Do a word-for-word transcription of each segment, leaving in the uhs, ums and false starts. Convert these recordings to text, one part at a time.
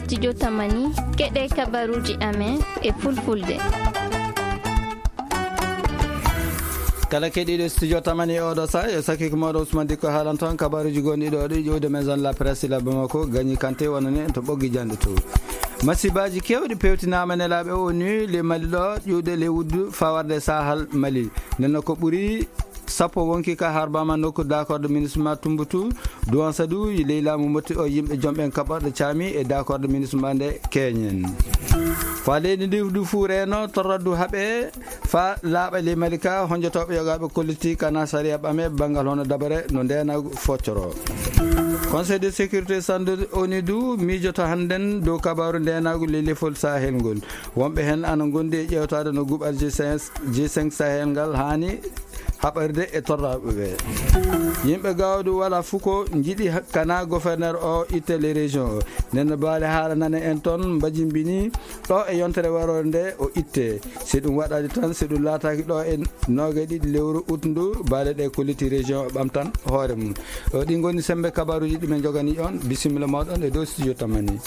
Studio Tamani, keɗe kabaruji amen e fulfulde. Kala keɗiiɗo Studio Tamani e oɗo saha, yo sakiiko mooɗo Ousmane Dikko haalan toon kabaruji gonɗi ɗo ɗi ƴuwde Maison la Presse la Bamako, gañi kante wonani en to ɓoggi janɗe to. Masibaji kewɗi pewtinaama nelaaɓe O N U le Mali ɗo ƴuwde le wuddu fawarde Sahal Mali. Nenno ko ɓuri sappo wonki ka harbama nokku d'accord de ministre ma Tumbutu, Duwan Sadu, ley laamu motti o yimɓe jom ɓen kaɓorɗe caami e d'accord de ministre ma nde keñen. Fa leydi ndi du fu reno torraddu haɓe fa laaɓa ley Malika, honjotoɓe yogaaɓe kolliti kana sariya ɓame bangal hono dabare no ndenagu foccoro. Conseil de sécurité sandu O N U du miijoto hannden dow kabaru ndenagu ley lefol Sahel ngol. Wonɓe heen ana ngondi e ƴeewtaade no guɓal G cinq, G cinq Sahel ngal haani haɓirde e torraaɓe ɓe. Yimɓe Gawdu wala fuko njiɗi ha-, kana gouverneur o itte les régions o. Nden no baale haala nane en toon mbajimbini ɗo e yontere warore nde o itte. Si ɗum waɗaade tan, si ɗum laataaki ɗo e noogaɗiɗi lewru ut ndu, baale ɗe kolliti région o ɓamtan hoore mum. O ɗi ngoni sembe kabaruji ɗi men jogani on. Bisimilla moɗon e dow studio Tamani.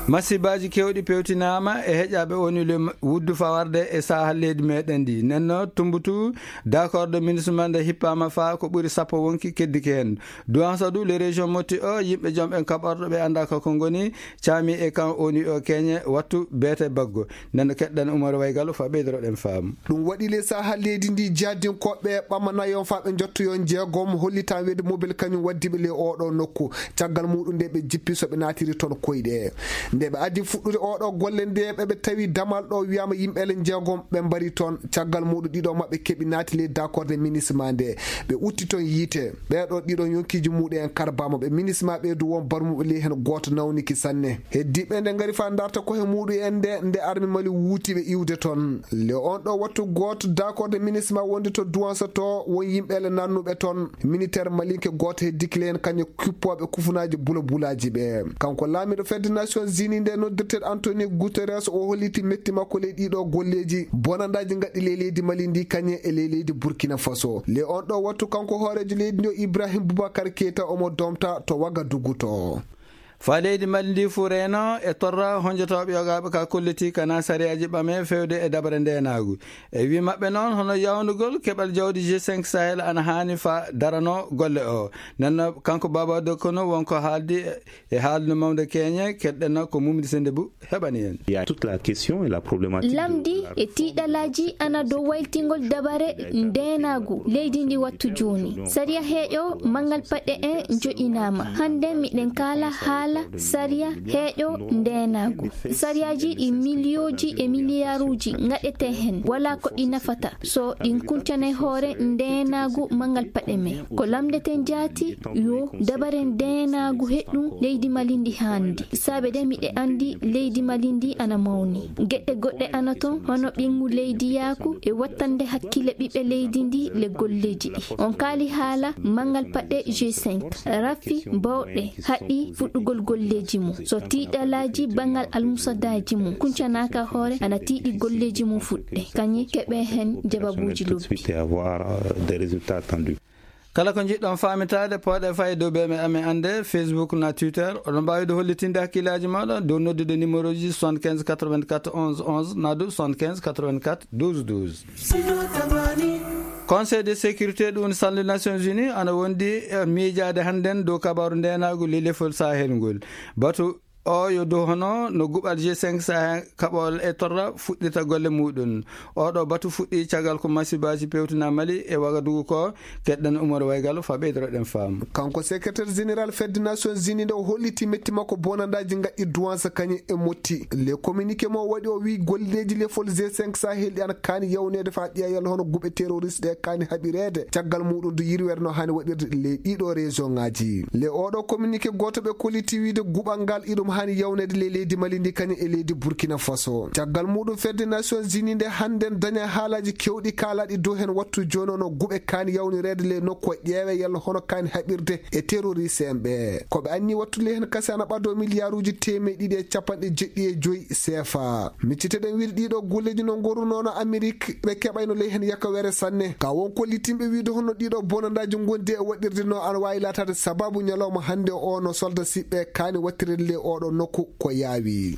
Masibaji kewɗi pewtinaama e heƴaɓe O N U le wuddu fawarde e sahal leydi meɗen ndi. Nenno Tumbutu, d'accord de ministre man nde hippama fa ko ɓuri sappo wonki keddiki hen. Duwan Sadu, le région motti o, yimɓe jom en kaɓorɗo ɓe anda ko ko ngoni, caami e kan O N U o keñe wattu beete baggo. Nenno keɗɗen Umar Waygal fa ɓeydiroɗen faamu. Ɗum waɗi le sahal leydi ndi jaddinkooɓe ɓamanayon fa ɓe njottoyon jeegom hollitan wede mobile kañum waddiɓe le oɗo nokku. Caggal muɗum nde ɓe jippi so ɓe naatiri toon koyɗe. Nde ɓe addi fuɗɗude oɗo golle nde ɓe ɓe tawi damal ɗo wiyama yimɓe le jeegom ɓe mbari toon. Caggal muɗum ɗiɗo maɓɓe keɓi naati le d'accord de ministre ma nde. Ɓe utti toon yiite. Ɓeɗo ɗiɗo yonkiji muɗum en karbama ɓe ministre ma ɓe du won barmuɓe le hen goto nawniki sanne. Heddiɓe nde ngari fa darta ko he muɗum en nde, nde armi Mali wuti ɓe iwde toon. Le on ɗo wattu goto d'accord de ministre ma wonde to Duwansa to won yimɓe le nannuɓe toon. Militaire malinke goto heddiki le hen kañum kippoɓe kufunaji bula bulaji ɓe. Kanko laamiɗo fedde Nations Unies nde noddirteɗo Antonio Guterres o holliti metti makko ley ɗiɗo golleji bonandaji gaɗɗi ley leydi Mali ndi kañe e ley leydi Burkina Faso. Le on ɗo wattu kanko hoorejo leydi ndi o Ibrahim Boubacar Keita omo domta to Wagadugu to. Fa leydi Mali ndi fu reno e torra honjotoɓe yogaaɓe ka kolliti kana sariyaji ɓame fewde e dabare ndenagu. E wi maɓɓe noon, hono yawnugol keɓal jawdi G cinq Sahel ana haani fa darano golle o. Nenno kanko Baba Dokono wonko haaldi e haaldu mawnde keñe, keɗɗen ko Mumdi Sendebu heɓani en. Il y a toute la question et la problématique de Lamdi la e tiiɗalaaji ana dow waytingol dabare ndeenaagu leydi ndi wattu jooni. Sariya heeƴo manngal paɗe en joƴinaama. Hannde miɗen kaala haala sariya heeƴo ndeenaagu. Sariyaaji ɗi miliyooji e miliyaaruuji ngaɗetee heen, walaa ko ɗi nafata so ɗin kuncanay hoore ndeenaagu manngal paɗe men. Ko lamndeten jaati yo dabare ndeenaagu heɗɗum leydi Mali ndi haandi. Saabe de miɗe anndi leydi Mali ndi ana mawni. Geɗe goɗɗe ana toon, hono ɓiŋngu leydi yaaku e wattande hakkille ɓiɓɓe leydi ndi le golleeji ɗi. On kaali haala manngal paɗe G cinq. Rafi bawɗe haɗi fuɗɗugol golleeji mum. So tiiɗalaaji banngal almusadaaji mum kuncanaaka hoore, ana tiiɗi golleeji mum fuɗɗe. Kañi keɓe heen jababuuji lobbi. Et avoir, euh, des résultats attendus. Kala ko njiɗɗon faamitaade, pooɗe fay dow B M amen annde, Facebook na Twitter. Oɗon mbaawi ɗo hollitinde hakkillaaji mooɗon dow noddude numéro ji soixante-quinze quatre-vingt-quatre onze onze na dow soixante-quinze quatre-vingt-quatre douze douze. Conseil de sécurité ɗum salnde Nations Unies ana wondi e miijaade hannden dow kabaaru ndeenaagu lelefol Sahel ngol. Batu o yo dow hono no guɓal G cinq Sahel kaɓol e torra fuɗɗita golle muɗum. Oɗo batu fuɗɗi caggal ko masibaaji pewtina Mali e Wagadugu ko. Keɗɗen Umar Waygal fa ɓeydoroɗen faamu. Kanko secrétaire général fedde Nations Unies nde o holliti metti makko bonandaaji ngaɗɗi duwansa kañum e motti. Le communiqué mo waɗi o wi golleeji lefol G cinq Sahel ɗi ana kaani yawneede fa ƴeeyal hono guɓe terroriste ɗe kaani haɓireede. Caggal muɗum du yirwere no haani waɗirde le ɗiɗo région ngaji. Le oɗo communiqué gooto ɓe kolliti wiide guɓal ngal iɗum Kaani yawneede ley leydi Mali ndi kañum e leydi Burkina Faso. Caggal muɗum fedde Nations Unies nde hannden daña haalaaji keewɗi kaalaaɗi dow heen wattu jooni o no guɓe kaani yawnireede ley nokku o ƴeewe yalla hono kaani haɓirde e terroriste en ɓe. Ko ɓe anni wattu ley heen kasi ana ɓadoo miliyaaruuji teemeɗe ɗiɗi e capanɗe jeɗɗi e joyi seefa. Micciteɗen wiide ɗiɗo golleeji no ngorunoo no Amerik ɓe keɓayno ley heen yakawere sanne. Ka won ko littinɓe wiide hono ɗiɗo bonandaaji ngondi e waɗirde no ana waawi laataade sababu ñalawma hannde o no solda siɓɓe kaani wattirede ley oɗo nokku ko yaawi.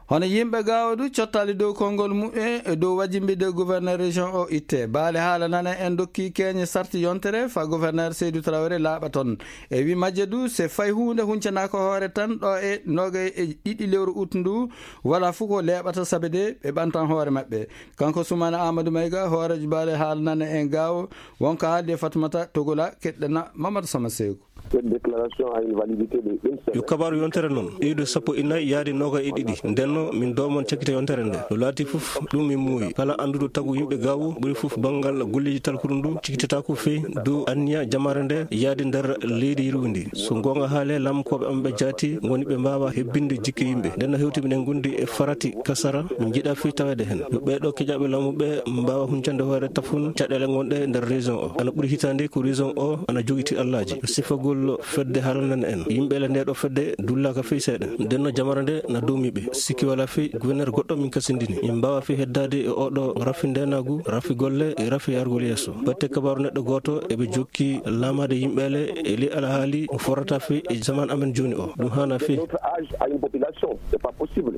Hono yimɓe Gaawo du cottaali dow konngol muɓɓe e dow wajimbiɗde gouverneur région o itte. Baale haala nana en dokki keeñe sarti yontere fa gouverneur Seydou Traoré laaɓa toon. E wi majje du, se fay huunde huncanaaka hoore tan ɗo e noga e ɗiɗi lewru ut ndu, wala fof ko leeɓata sabe de ɓe ɓantan hoore maɓɓe. Kanko Soumana Amadou Maïga, hooreejo baale haala nana en Gaawo, wonko haaldi e Fatoumata Togola, keɗɗana Mamadou Sama Seeku. Cette déclaration a une validité de une semaine. Yo kabaaru yontere noon, iwde sappo e nayi yaade noga e ɗiɗi. Ndenno, min doomon cakkita yontere nde. No laati fof, ɗum min muuyi. Kala annduɗo tagu yimɓe Gaawo, ɓuri fof banngal golleeji talkuru ndu, cikkitata ko fii dow anniya jamaare nde yaade nder leydi yirwundi. So goonga haale, laamkooɓe am ɓe jaati ngoni ɓe mbaawa hebbinde jikke yimɓe. Ndenno hewti minen ngondi e farati kasara, min njiɗa fii taweede heen. Yo ɓeeɗo keƴaaɓe laamu ɓe mbaawa huncande hoore tafon caɗeele ngonɗe nder région o. Ana ɓuri hitaande ko région o ana jogiti allaaji. Sifagol fedde haalanana en. Yimɓe le ndeɗo fedde dullaaka fii seeɗa. Ndenno jamaare nde na doomi ɓe. Sikki wala fii gouverneur goɗɗo min kasindini. Min mbaawa fii heddaade e oɗo rafi ndenaagu, rafi golle e rafi yargol yeeso. Batte kabaaru neɗɗo gooto eɓe jokki laamaade yimɓe le e li alhaali mo forrata fii e zaman amen jooni o. Ɗum haana fii. Notre âge à une population, c'est pas possible.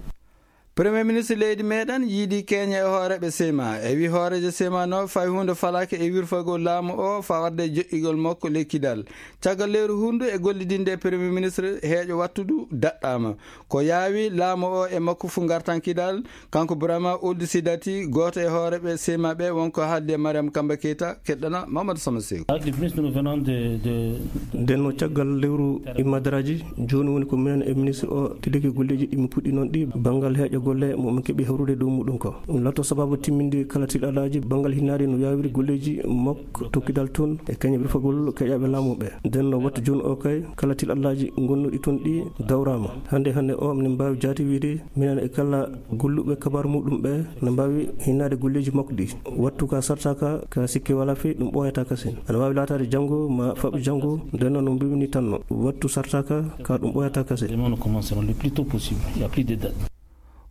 Premier ministre leydi meɗen yiidi keñe e hooreɓe sema. E wi hoorejo sema no fay hunde falake e wirfagol laamu o fa wadde joƴƴigol makko ley Kidal. Caggal lewru hundu e gollidinde e premier ministre heeƴo wattudu daɗɗama. Ko yaawi laamu o e makko fu ngartan Kidal, kanko Burama Ould Sidati, gooto e hooreɓe sema ɓe wonko haaldi e Mariam Kamba Keita, keɗɗana Mamadou Sama Seeku. Avec le ministre, nous venons de, de, de Ndenno caggal lewru immadaraaji, jooni woni ko minen e ministre o tiliki golleeji ɗi mi puɗɗi noon ɗi banngal heeƴa golle mo min keɓi hawrude dow muɗum ko. Ɗum lato sababu timminde kala tiɗalaaji banngal hinnaade no yaawiri golleeji mok to Kidal toon e kañum rufagol keƴaaɓe laamu ɓe. Ndenno wattu jooni o kay kala tiɗalaaji ngonnuɗi toon ɗi dawraama. Hannde hannde o minen mbaawi jaati wiide minen e kala golluɓe kabaar muɗum ɓe na mbaawi hinnaade golleeji makko ɗi. Wattu ka sartaka ka sikke wala fii ɗum ɓooyata kasin. Ana waawi laataade janngo ma faɓ janngo, ndenno no mbimi ni tanno. Wattu sartaka ka ɗum ɓooyata kasin. Demain, nous commencerons le plus tôt possible. Il y a plus de date.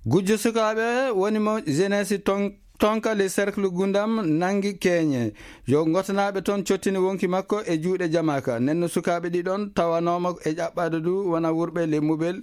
Gujjo sukaaɓe woni mo jeunesse ton-, tonka le cercle Gundam nangi keñe. Yo ngotanaaɓe toon cottini wonki makko e juuɗe jamaaka. Nenno sukaaɓe ɗiɗon tawanooma e ƴaɓɓaade du wona wurɓe le mubel.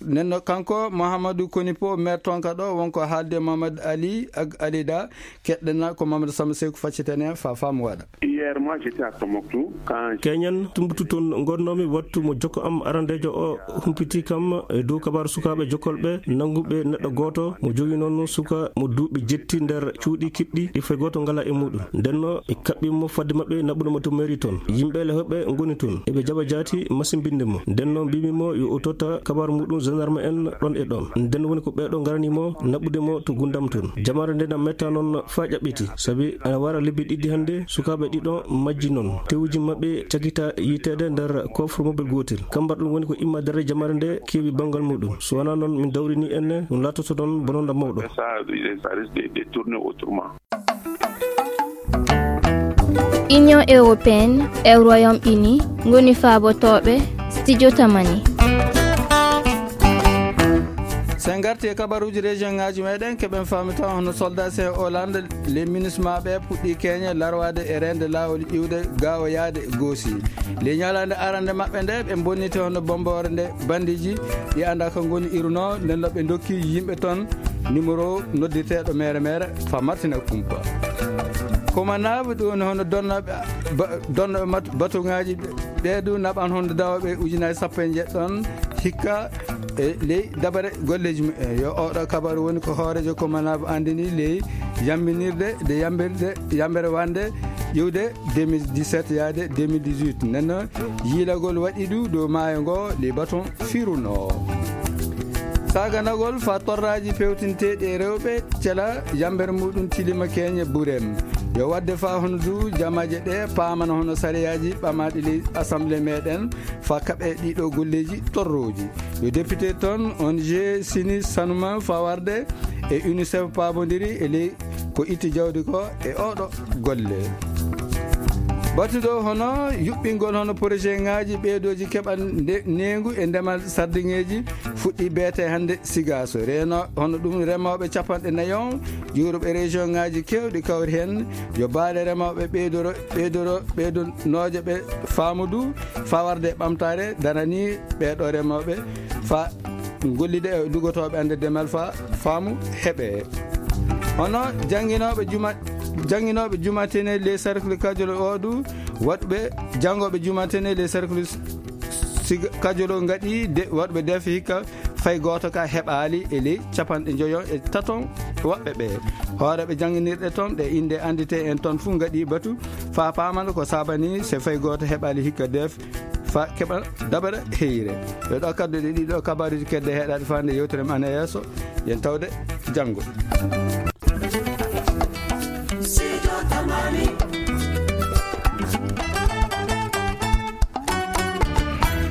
Nenno kanko Mouhamadou Konipo, maire tonka ɗo, wonko haalde Mamadou Ali ak Alida, keɗɗena ko Mamadou Samba Seeku faccitene fa faamu waɗa. Hier, moi, j'étais à Tombouctou. Quand Keñan tumbutu toon ngornomi wattu mo jokko am arandejo o humpiti kam e dow kabaaru sukaaɓe jokkolɓe nannguɓe neɗɗo gooto mo jogi noon suka mo duuɓi jetti nder cuuɗi kiɗɗi ɗi fay gooto ngala e muɗum. Ndenno ɓe kaɓɓi mo fadde maɓɓe naɓude mo to mairie toon. Yimɓe le hoɓɓe ngoni toon. Eɓe jaɓa jaati masimbinde mo. Ndenno mbimi mo yo o totta kabaaru muɗum gendarme en ɗon e ɗon. Nden woni ko ɓeeɗo ngarani mo naɓude mo to Gundam toon. Jamaare nde na metta noon faa ƴaɓɓiti. Sabi ana wara lebbi ɗiɗi hannde sukaaɓe ɗiɗo majji noon. Tewuji maɓɓe cagita yiteede nder coffre mobile gootel. Kambar ɗum woni ko imma dare jamaare nde keewi banngal muɗum. So wanaa noon min dawrini enne ɗum laatoto noon bononda mawɗo. Ça, ça risque de, de tourner autrement. Union européenne e Royaume-Uni ngoni faabotooɓe Studio Tamani. So en ngarti e kabaruuji région ŋaaji meɗen, keɓen faami taw hono soldat sen Hollande, les MINUSMA ɓe puɗɗi keñe larwaade e reende laawol iwde Gaawo yaade Goosi. Le ñalaande arande maɓɓe nde, ɓe bonniti hono bomboore nde bandiiji ɗi annda ko ngoni iruno, nden no ɓe ndokki yimɓe toon numéro noddirteeɗo mere mere fa martina kumpa. Komanaaɓe ɗum hono donnooɓe ba-, donnooɓe mat-, batuŋaaji ɓe, ɓe du naɓan hono dawooɓe ujunaaji sappo e njeɗɗon hikka e ley dabare golleeji mumen. Yo oɗo kabaru woni ko hooreejo komanaaɓe anndini ley yambinirde de yambirde, yambere wande iwde deux mille dix-sept yaade deux mille dix-huit. Nden no yiilagol waɗi du dow maayo ngo, les bâtons firunoo. Saganagol fa torraaji pewtinteeɗi e rewɓe, cela yambere muɗum tilima keñe burem. Yo waɗde fa hono du jamaaje ɗe paamana hono sariyaaji ɓamaaɗi ley assemblée meɗen fa kaɓe ɗiɗo golleeji torrooji. Yo député toon O N G Sini Sanuma fa warde e UNICEF paabondiri e ley ko itti jawdi ko e oɗo golle. Batuɗo hono yuɓɓingol hono projet ŋaaji ɓeydooji keɓal nde-, neengu e ndemal sardiŋeeji fuɗɗi beete hannde Sigaaso. Reeno hono ɗum remooɓe capanɗe nayi on juuruɓe région ŋaaji keewɗi kawri heen yo baale remooɓe ɓeydoro, ɓeydoro, ɓeydonooje ɓe faamu du fa warde ɓamtaare darani ɓeeɗo remooɓe fa gollide e lugotooɓe annde demal fa faamu heɓe. Hono jannginooɓe juma, jannginooɓe jumatene les cercles kajolo o du waɗɓe janngooɓe jumatene les cercles siga kajolo ngaɗi de waɗɓe def hikka fay gooto ka heɓaali e ley capanɗe njoyo e taton woɓɓe ɓe. Hooreɓe jannginirɗe toon ɗe innde anndite en toon fuu ngaɗi batu fa paamana ko sabani se fay gooto heɓaali hikka def fa keɓa dabara heyre. Ɓe ɗo kadduɗe ɗiɗo kabaruji kedde heɗaɗe fa nde yewtere men ana yeeso. Yen tawde janngo. Sijo tamani